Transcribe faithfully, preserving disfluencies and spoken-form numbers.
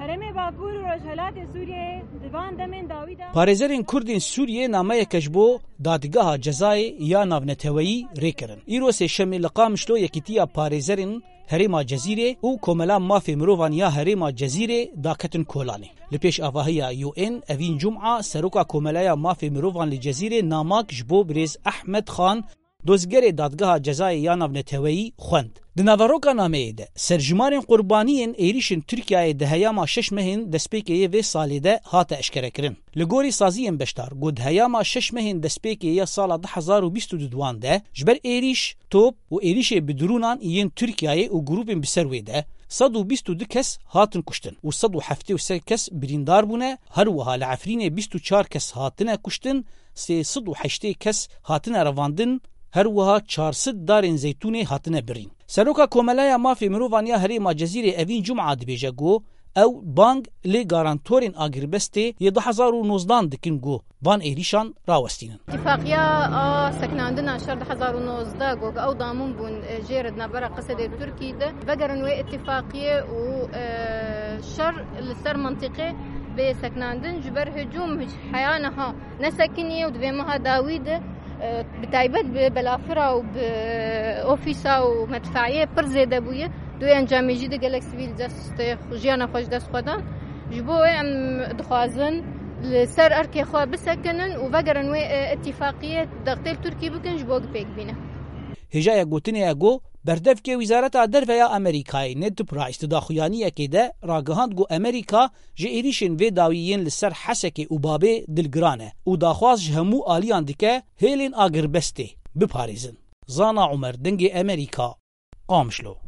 Demê Bakur û Rojhelatê Sûriyeyê di van demên dawî de Parêzerên Kurd ên Sûriyê nameyeke ji bo Dadgeha Cezayê ya Navneteweyî rê kirin. Îro sêşemê li Qamişlo Yekîtiya Parêzerên Herêma Cezîrê û Komela Mafê Mirovan ya Herêma Cezîrê daketin kolanê. Li pêş avahiya U N Evîn Cuma, Seroka Komeleya Mafê Mirovan li Cezîrê namak ji bo birêz Ehmed Xan, dozgerê Dadgeha Cezayê ya Navneteweyî xwend. Di naveroka nameyê de, serjimarên qurbaniyên êrîşên Tirkiyeyê di heyama şeş mehên destpêkê yê vê salê de hate eşkerekirin. Li gorî saziyên beşdar, ku di heyama şeş mehên destpêkê ya sala du hezar û bîst û duduan de, ji ber êrîş, top û êrîşê bi drûnan yên Tirkiyeyê û grûpên bi ser wê de, sed û bîst û du kes hatin kuştin û sed û heftê û sê kes birîndar bûne, her wiha li Efrînê bîst û çar kes hatine kuştin, sê sed û heştê kes hatine revandin, her wiha çar sed darên zeytûnê hatine birîn. Seroka Komeleya Mafê Mirovan ya Herêma Cezîrê Evîn Cuma dibêje ku ew bang li garantorên agirbestê yê du hezar û nozdan dikin ku van êrîşan rawestînin. Îtifaqiya a sekinandina şer du hezar û nozdeh, ku ew damin bûn, e, jê re di navbera Qesedê û Tirkî de, vegerin wê îtifaqiyê û, e, şer li ser mentiqê bê sekinandin, ji ber hicûm heya niha nesekiniye û di vê meha dawî de, e, bi taybet bi belafira û bi ofîsa û medfeiyê pir zêde bûye. Di wê encamê jî de gelek sivîl dest, jiyana xwe ji dest xwe dan. Ji bo wê em dixwazin li ser erkê xwe bisekinin û vegerin wê, e, îtifaqiyê dextê li Tirkî bikin ji bo ku pêk bîne. Hêjaya gotinê ye ku berdevkê Wîzareta Derve ya Amerîkayê Ned Price di daxuyaniyekê de ragihand ku Amerîka ji êrîşên vê dawî yên li ser Hesekê û Babê dilgiran e û daxwaz ji hemû aliyan dike hêlên agirbestê biparêzin. Zana Umer, Dengê Amerîka, Qamişlo.